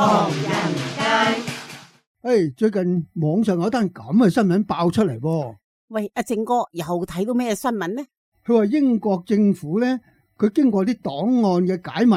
唐人街。最近網上有單咁嘅新聞爆出嚟喎。喂，阿正哥又睇到咩新聞呢？佢話英國政府呢，佢經過啲檔案嘅解密，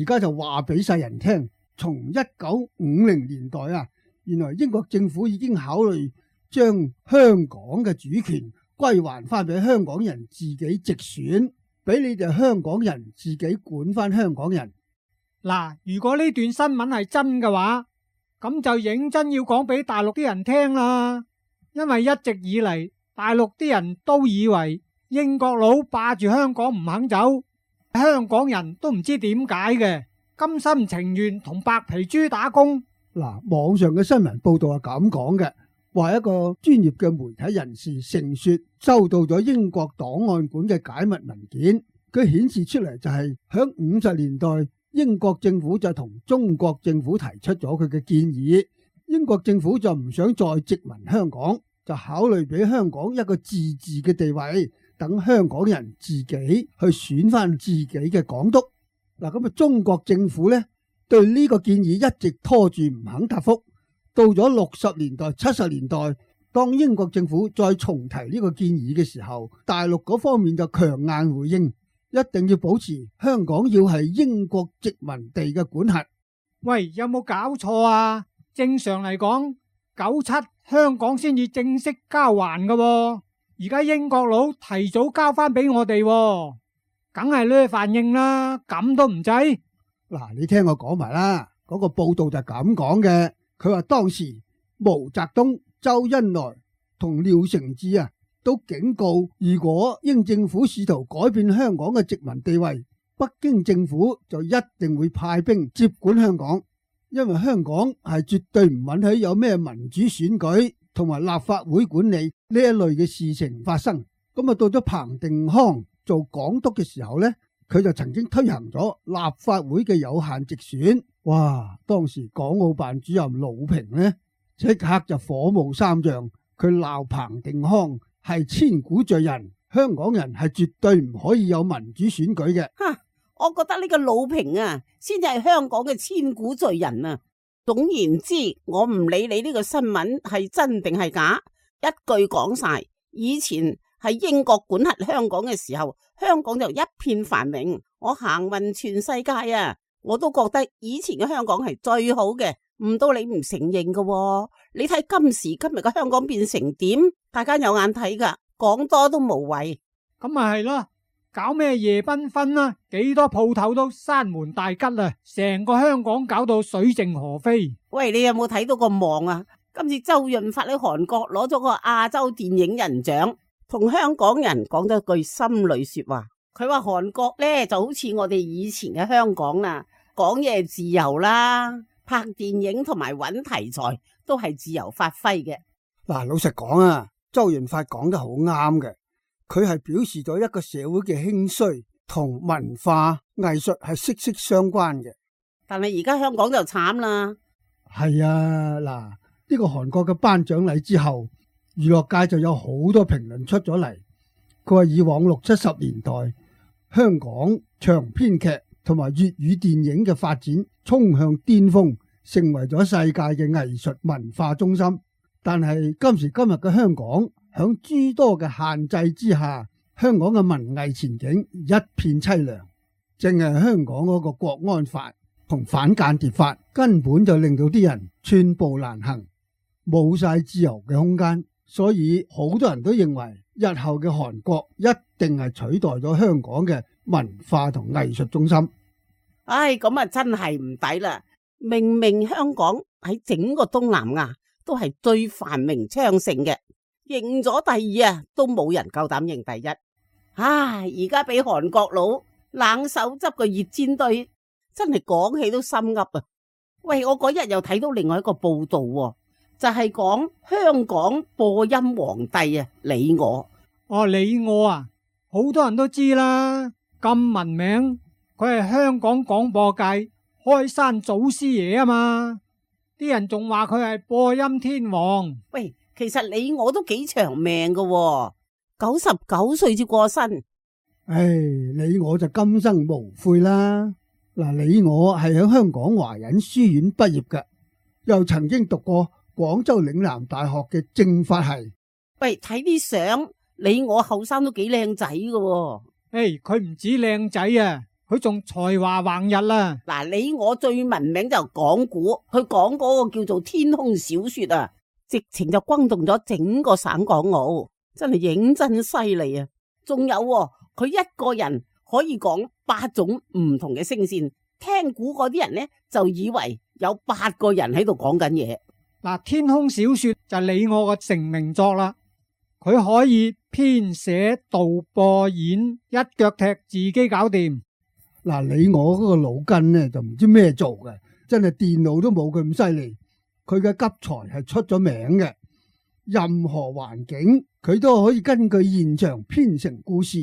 而家就話俾世人聽，從1950年代啊，原來英國政府已經考慮將香港嘅主權歸還翻俾香港人自己直選，俾你哋香港人自己管翻香港人。嗱，如果呢段新聞係真嘅話，咁就認真要講俾大陸啲人聽啦。因為一直以嚟，大陸啲人都以為英國佬霸住香港唔肯走，香港人都唔知點解嘅，甘心情願同白皮豬打工。嗱，網上嘅新聞報道係咁講嘅，話一個專業嘅媒體人士承說收到咗英國檔案館嘅解密文件，佢顯示出嚟就係響50年代，英國政府就同中國政府提出咗佢嘅建議，英國政府就唔想再殖民香港，就考慮俾香港一個自治嘅地位，等香港人自己去選翻自己嘅港督。嗱，咁啊，中國政府呢對呢個建議一直拖住唔肯答覆。到咗60年代、70年代，當英國政府再重提呢個建議嘅時候，大陸嗰方面就強硬回應，一定要保持香港要係英國殖民地嘅管轄。喂，有冇搞錯啊？正常嚟講，97香港先至正式交還㗎喎，而家英國佬提早交翻俾我哋喎，梗係呢反應啦，咁都唔制。嗱，你聽我講埋啦，嗰個報道就咁講嘅，佢話當時毛澤東、周恩來同廖承志啊，都警告，如果英政府試圖改變香港嘅殖民地位，北京政府就一定會派兵接管香港，因為香港係絕對唔允許有咩民主選舉同埋立法會管理呢一類嘅事情發生。咁啊，到咗彭定康做港督嘅時候呢，佢就曾經推行咗立法會嘅有限直選。哇！當時港澳辦主任魯平呢，即刻就火冒三丈，佢鬧彭定康係千古罪人，香港人係絕對唔可以有民主選舉嘅。我覺得呢個魯平啊，先至係香港嘅千古罪人啊！總言之，我唔理你呢個新聞係真定係假，一句講晒，以前喺英國管轄香港嘅時候，香港就一片繁榮，我行勻全世界啊，我都覺得以前嘅香港係最好嘅，唔到你唔承認㗎喎。你睇今時今日嘅香港變成點，大家有眼睇噶，講多都無謂。咁咪係咯，搞咩夜繽紛啊？幾多鋪頭都閂門大吉啦，成個香港搞到水靜河飛。喂，你有冇睇到個網啊？今次周潤發喺韓國攞咗個亞洲電影人獎，同香港人講咗句心裏說話。佢話韓國呢就好似我哋以前嘅香港啦，講嘢自由啦，拍電影同埋揾題材都係自由發揮嘅。嗱，老實講啊，周潤發講得好啱嘅，佢係表示咗一個社會嘅興衰同文化藝術係息息相關嘅。但係而家香港就慘啦。係啊，嗱，呢個韓國嘅頒獎禮之後，娛樂界就有好多評論出咗嚟。佢話以往60、70年代，香港長篇劇同埋粵語電影嘅發展衝向巔峰，成為咗世界嘅藝術文化中心。但係今時今日嘅香港，響諸多嘅限制之下，香港嘅文藝前景一片淒涼。淨係香港嗰個國安法同反間諜法，根本就令到啲人寸步難行，冇晒自由嘅空間。所以好多人都認為，日後嘅韓國一定係取代咗香港嘅文化同藝術中心。唉，咁啊真係唔抵啦！明明香港喺整個東南亞都係最繁榮昌盛嘅，認咗第二啊，都冇人夠膽認第一。唉，而家俾韓國佬冷手執個熱煎堆，真係講起都心噏啊！喂，我嗰日又睇到另外一個報道喎，就係講香港播音皇帝啊，李我。李我啊，好多人都知啦，咁聞名，佢係香港廣播界開山祖師爺啊嘛，啲人仲話佢係播音天王。喂，其實李我都幾長命噶喎，99歲至過身。唉，李我就今生無悔啦。嗱，你我係喺香港華仁書院畢業嘅，又曾經讀過廣州嶺南大學嘅政法系。喂，睇啲相，你我後生都幾靚仔㗎。佢唔止靚仔啊，佢仲才華橫溢啦。嗱，你我最聞名就講古，佢講嗰個叫做天空小說啊，直情就轟動咗整個省港澳，真係認真犀利啊！仲有佢一個人可以講8種唔同嘅聲線，聽古嗰啲人呢，就以為有8個人喺度講緊嘢。嗱，天空小說就係你我嘅成名作啦，佢可以編寫導播演，一腳踢自己搞掂。嗱，你我嗰個腦筋呢就唔知咩做嘅，真係電腦都冇佢咁犀利。佢嘅急才係出咗名嘅，任何環境佢都可以根據現場編成故事。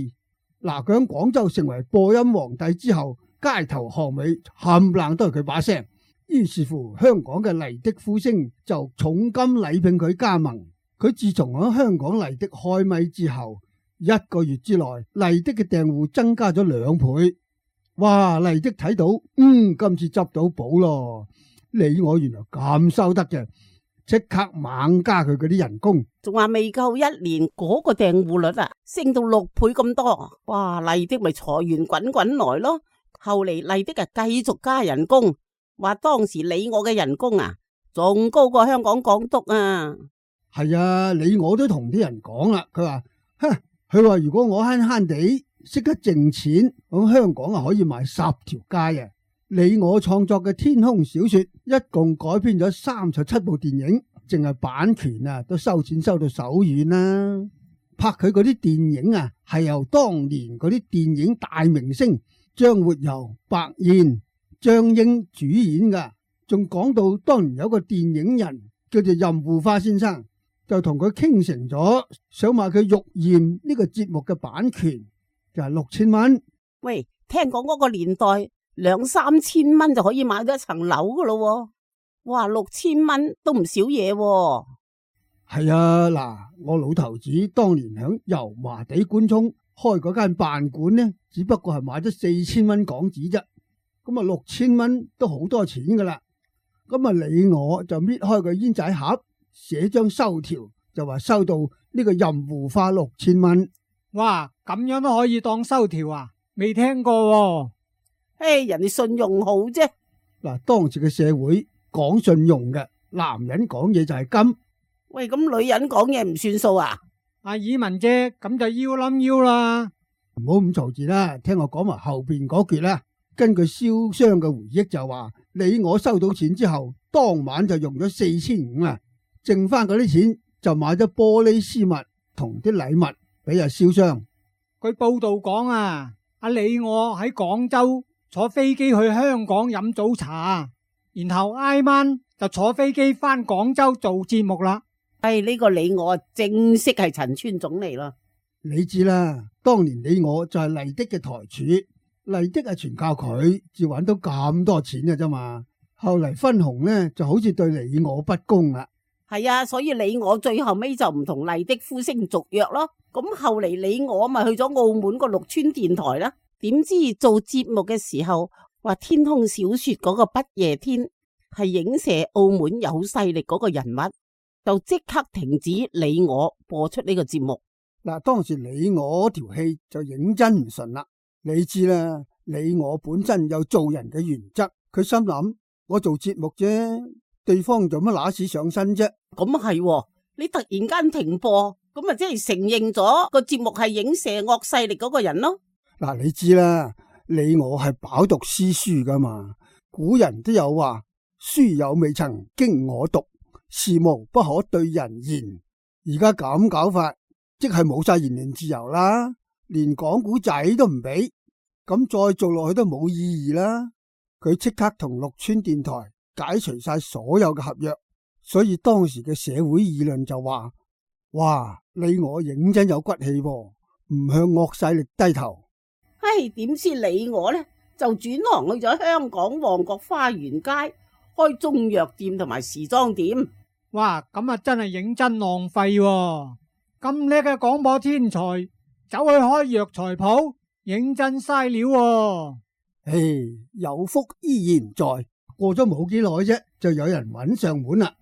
嗱，佢喺廣州成為播音皇帝之後，街頭巷尾冚唪唥都係佢把聲。於是乎，香港嘅麗的呼聲就重金禮聘佢加盟。佢自從喺香港麗的開咪之後，1個月之內，麗的嘅訂戶增加咗2倍。哇！麗的睇到，今次執到寶咯！你我原來咁收得嘅，即刻猛加佢嗰啲人工。仲話未夠1年，嗰個訂戶率啊，升到6倍咁多。哇！麗的咪財源滾滾來咯。後嚟麗的啊繼續加人工，話當時你我嘅人工啊，仲高過香港港督啊。係啊，你我都同啲人講啦，佢話如果我慳慳地識得剩錢，咁香港啊可以賣10條街啊！你我創作嘅天空小說一共改編咗37部電影，淨係版權啊都收錢收到手軟啦。拍佢嗰啲電影啊，係由當年嗰啲電影大明星張活游、白燕、張英主演噶。仲講到當年有個電影人叫做任護花先生，就同佢傾成咗，想買佢《玉燕》呢個節目嘅版權，就係6000蚊。喂，聽講嗰個年代2-3千蚊就可以買到一層樓噶咯。哇，6000蚊都唔少嘢。係啊，嗱，我老頭子當年響油麻地官涌開嗰間辦館呢，只不過係買咗4000蚊港紙啫。咁啊6000蚊都好多錢噶啦。咁啊你我就搣開個煙仔盒，寫張收條，就話收到呢個任護花6000蚊。哇，咁樣都可以當收條啊？未聽過喎。人哋信用好啫。嗱，當時嘅社會講信用嘅，男人講嘢就係金。喂，咁女人講嘢唔算數啊？阿爾文姐，咁就腰冧腰啦。唔好咁嘈住啦，聽我講埋後邊嗰橛啦。根據燒商嘅回憶就話，你我收到錢之後，當晚就用咗4500啊，剩翻嗰啲錢就買咗玻璃絲襪同啲禮物俾阿燒商。據報道講啊，阿你我喺廣州坐飛機去香港飲早茶，然後挨晚就坐飛機翻廣州做節目啦。呢個你我正式係陳村總嚟啦。你知啦，當年你我就係麗的嘅台柱，麗的係全靠佢至揾到咁多錢嘅啫嘛。後嚟分紅呢就好似對你我不公啦。係啊，所以你我最後尾就唔同麗的呼聲續約咯。咁後嚟你我咪去咗澳門個綠村電台啦。點知做節目嘅時候話天空小說嗰個不夜天係影射澳門有勢力嗰個人物，就即刻停止你我播出呢個節目。嗱，當時你我條戲就認真唔順啦。你知啦，你我本身有做人嘅原則，佢心諗我做節目啫，對方做乜乸屎上身啫？咁係，你突然間停播，咁咪即係承認咗個節目係影射惡勢力嗰個人咯。嗱，你知啦，你我係飽讀詩書噶嘛，古人都有話，書有未曾經我讀，事無不可對人言。而家咁搞法，即係冇晒言論自由啦，連講古仔都唔俾，咁再做落去都冇意義啦。佢即刻同綠村電台解除晒所有嘅合約，所以當時嘅社會議論就話：哇，你我認真有骨氣喎，唔向惡勢力低頭。點知你我呢，就轉行去咗香港旺角花園街開中藥店同埋時裝店。哇，咁啊真係認真浪費喎！咁叻嘅廣播天才走去開藥材鋪，認真嘥料喎！唉，有福依然在。過咗冇幾耐啫，就有人揾上門啦。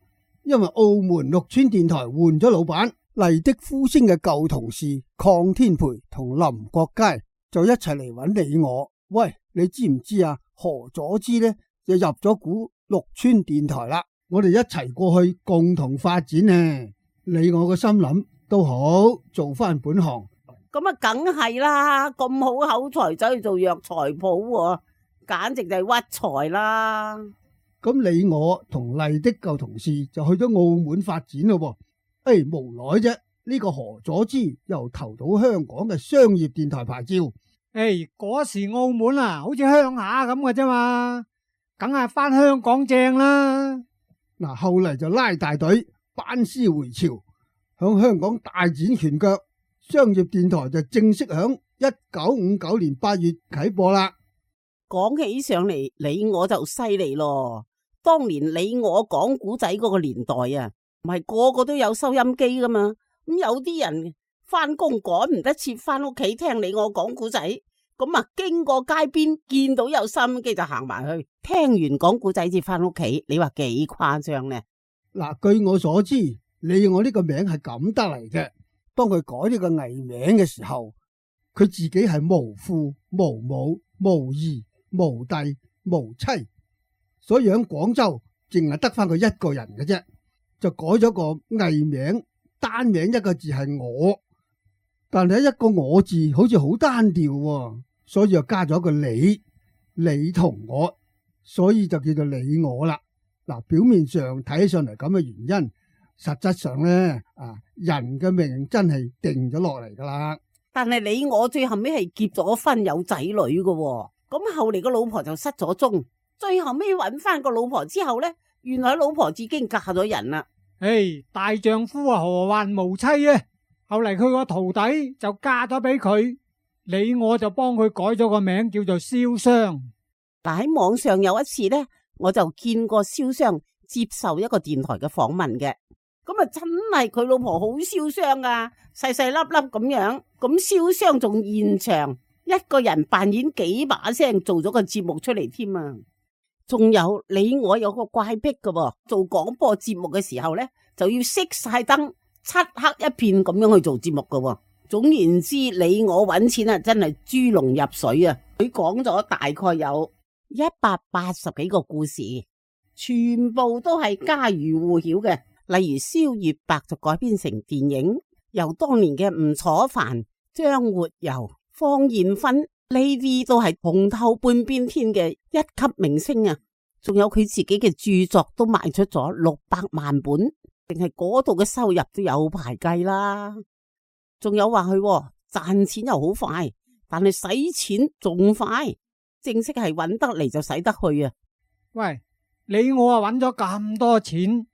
因為澳門綠村電台換咗老闆，麗的呼聲嘅舊同事鄺天培同林國佳就一齊嚟揾你我。喂，你知唔知啊？何佐芝呢就入咗股綠村電台啦。我哋一齊過去共同發展呢。你我個心諗都好，做翻本行。咁啊，梗係啦！咁好口才走去做藥材鋪，簡直就係屈才啦。咁你我同麗的舊同事就去咗澳門發展咯。無奈啫，呢個何佐芝又投到香港嘅商業電台牌照。嗰時澳門啊，好似鄉下咁嘅啫嘛，梗係翻香港正啦。嗱，後嚟就拉大隊班師回朝，響香港大展拳腳。商業電台就正式響1959年8月啟播啦。講起上嚟，你我就犀利咯。當年你我講古仔嗰個年代啊，唔係個個都有收音機噶嘛。咁有啲人翻工趕唔得切翻屋企聽你我講古仔，咁啊經過街邊見到有收音機就行埋去，聽完講古仔至翻屋企。你話幾誇張呢？嗱，據我所知，你我呢個名係咁得嚟嘅。當佢改呢個藝名嘅時候，佢自己係無父無母無兒無弟無妻，所以喺廣州淨係得翻佢一個人嘅啫，就改咗個藝名，單名一個字係我，但係一個我字好似好單調，所以就加咗一個你同我，所以就叫做你我啦。嗱，表面上睇起上嚟咁嘅原因。實質上呢，人嘅命真係定咗落嚟噶啦。但係你我最後尾係結咗婚有仔女嘅，咁後嚟個老婆就失咗蹤，最後尾揾翻個老婆之後呢，原來老婆已經嫁咗人啦。大丈夫啊，何患無妻啊？後嚟佢個徒弟就嫁咗俾佢，你我就幫佢改咗個名叫做瀟湘。但喺網上有一次呢，我就見過瀟湘接受一個電台嘅訪問嘅。咁啊，真係佢老婆好瀟湘啊，細細粒粒咁樣。咁瀟湘仲現場一個人扮演幾把聲做咗個節目出嚟添啊！仲有你我有個怪癖嘅，做廣播節目嘅時候呢，就要熄晒燈，漆黑一片咁樣去做節目嘅。總言之，你我揾錢啊，真係豬籠入水啊！佢講咗大概有180幾個故事，全部都係家喻戶曉嘅。例如《蕭月白》就改編成電影，由當年嘅吳楚帆、張活游、方艷芬呢啲都係紅透半邊天嘅一級明星啊！仲有佢自己嘅著作都賣出咗600萬本，定係嗰度嘅收入都有排計啦。仲有話佢賺錢又好快，但係使錢仲快，正式係揾得嚟就使得去啊！喂，你我啊揾咗咁多錢，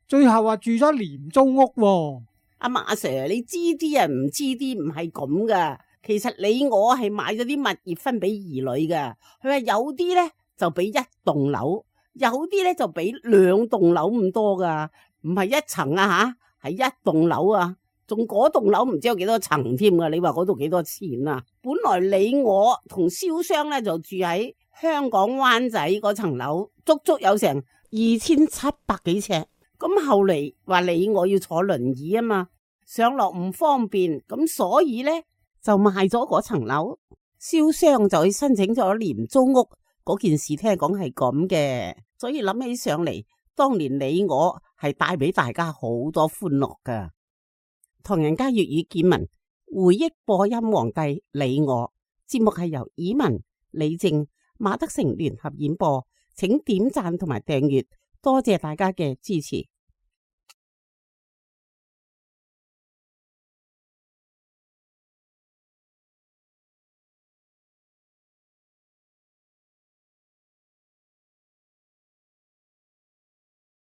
最後話住咗廉租屋喎。阿馬 Sir， 你知啲人唔知啲唔係咁噶。其實你我係買咗啲物業分俾兒女噶。佢話有啲呢就俾一棟樓，有啲呢就俾2棟樓咁多噶，唔係一層啊吓，係一棟樓啊，仲嗰棟樓唔知有幾多層添噶。你話嗰度幾多錢啊？本來你我同瀟湘呢就住喺香港灣仔嗰層樓，足足有成2700幾尺。咁後嚟話你我要坐輪椅啊嘛，上落唔方便，咁所以呢就賣咗嗰層樓。瀟湘就去申請咗廉租屋嗰件事，聽講係咁嘅，所以諗起上嚟，當年你我係帶俾大家好多歡樂噶。唐人街粵語見聞回憶播音皇帝你我，節目係由以文、李正、馬德成聯合演播，請點讚同埋訂閱，多謝大家嘅支持。